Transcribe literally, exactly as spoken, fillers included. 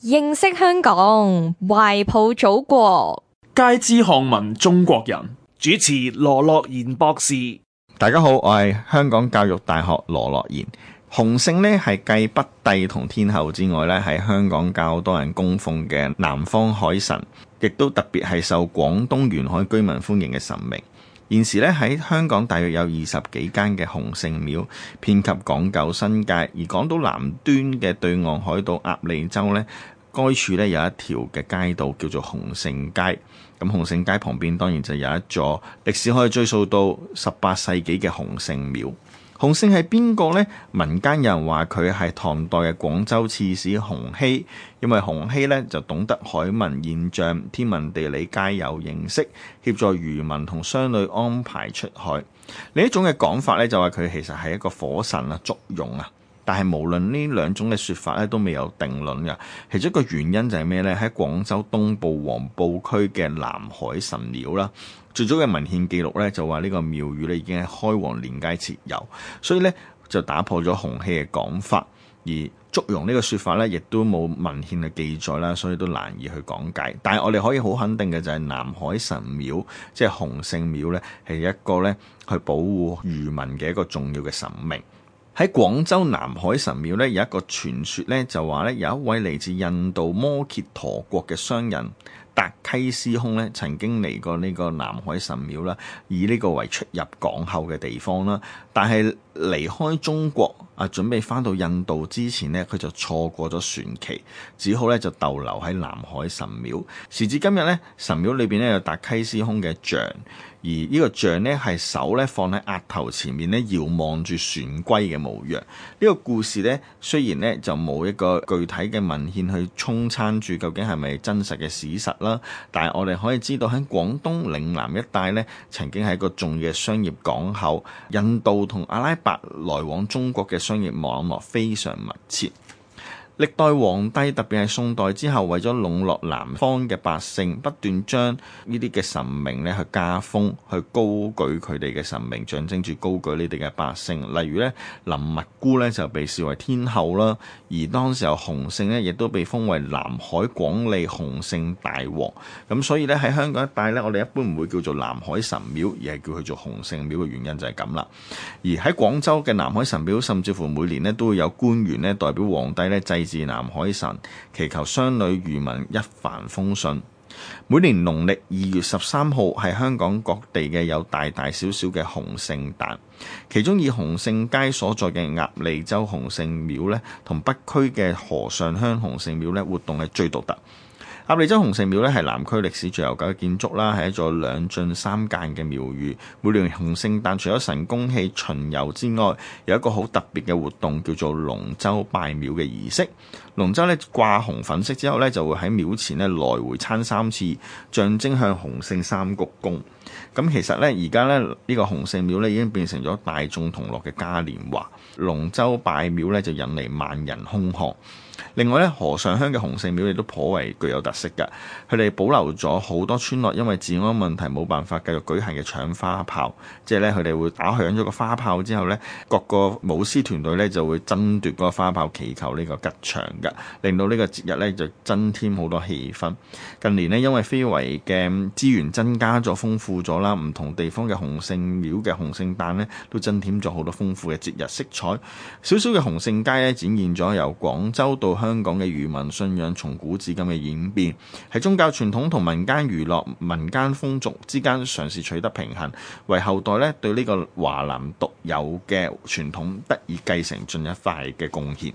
認識香港，懷抱祖國，皆知漢文中國人。主持羅樂賢博士。大家好，我係香港教育大學羅樂賢。洪聖呢係繼北帝同天后之外呢，喺香港較多人供奉嘅南方海神，亦都特別係受廣東沿海居民歡迎嘅神明。現時咧喺香港大約有二十幾間嘅洪聖廟，遍及港九新界。而港島南端嘅對岸海島鴨脷洲呢，該處咧有一條嘅街道叫做洪聖街。咁洪聖街旁邊當然就有一座歷史可以追溯到十八世紀嘅洪聖廟。洪聖係邊個呢？民間有人話佢係唐代嘅廣州刺史洪熙，因為洪熙呢就懂得海文現象，天文地理皆有認識，協助漁民同商旅安排出海。另一種嘅講法呢，就話佢其實係一個火神啊，祝融啊。但係無論呢兩種嘅說法咧，都未有定論嘅。其中一個原因就係咩呢？喺廣州東部黃埔區嘅南海神廟啦，最早嘅文獻記錄咧就話呢個廟宇咧已經喺開皇年間設有，所以咧就打破咗洪熙嘅講法。而祝融呢個說法咧，亦都冇文獻嘅記載啦，所以都難以去講解。但係我哋可以好肯定嘅就係南海神廟，即係洪聖廟咧，係一個咧去保護漁民嘅一個重要嘅神明。喺廣州南海神廟咧有一個傳說咧，就話咧有一位嚟自印度摩羯陀國嘅商人達溪司空咧，曾經嚟過呢個南海神廟啦，以呢個為出入港口嘅地方啦。但係離開中國啊，準備翻到印度之前呢，佢就錯過咗船期，只好咧就逗留喺南海神廟。時至今日咧，神廟裏邊咧有達溪司空嘅像，而呢個像咧係手咧放喺額頭前面咧，遙望住船歸嘅模樣。呢、這個故事咧雖然咧就冇一個具體嘅文獻去沖撐住究竟係咪真實嘅史實啦，但係我哋可以知道喺廣東嶺南一帶咧，曾經係一個重要嘅商業港口，印度同阿拉伯來往中國嘅商業網絡非常密切。歷代皇帝特別係宋代之後，為咗籠絡南方嘅百姓，不斷將呢啲嘅神明咧去加封，去高舉佢哋嘅神明，象徵住高舉呢啲嘅百姓。例如咧，林密姑咧就被視為天后啦，而當時候洪聖咧亦都被封為南海廣利洪聖大王。咁所以咧喺香港一帶咧，我哋一般唔會叫做南海神廟，而係叫佢做洪聖廟嘅原因就係咁啦。而喺廣州嘅南海神廟，甚至乎每年咧都會有官員咧代表皇帝咧祭至南海神，祈求商旅漁民一帆風順。每年農曆二月十三號係香港各地嘅有大大小小嘅洪聖誕，其中以洪聖街所在嘅鴨脷洲洪聖廟咧，同北區嘅河上鄉洪聖廟咧，活動係最獨特。鴨脷洲洪聖廟咧係南區歷史最悠久嘅建築啦，係一座兩進三間嘅廟宇。每年洪聖誕除咗神功戲巡遊之外，有一個好特別嘅活動叫做龍舟拜廟嘅儀式。龍舟咧掛紅粉飾之後咧，就會喺廟前咧來回撐三次，象徵向洪聖三鞠躬。咁其實咧而家咧呢個洪聖廟咧已經變成咗大眾同樂嘅嘉年華。龍舟拜廟咧就引嚟萬人空巷。另外咧，河上鄉嘅洪聖廟亦都頗為具有特色嘅，佢哋保留咗好多村落因為治安問題冇辦法繼續舉行嘅搶花炮，即係咧佢哋會打響咗個花炮之後咧，各個舞獅團隊咧就會爭奪嗰個花炮，祈求呢個吉祥嘅，令到呢個節日咧就增添好多氣氛。近年呢，因為非遺嘅資源增加咗、豐富咗啦，唔同地方嘅洪聖廟嘅洪聖誕咧都增添咗好多豐富嘅節日色彩。小小嘅洪聖街咧展現咗由廣州到香港嘅漁民信仰從古至今嘅演變，喺宗教傳統同民間娛樂、民間風俗之間嘗試取得平衡，為後代咧對呢個華南獨有嘅傳統得以繼承進一塊嘅貢獻。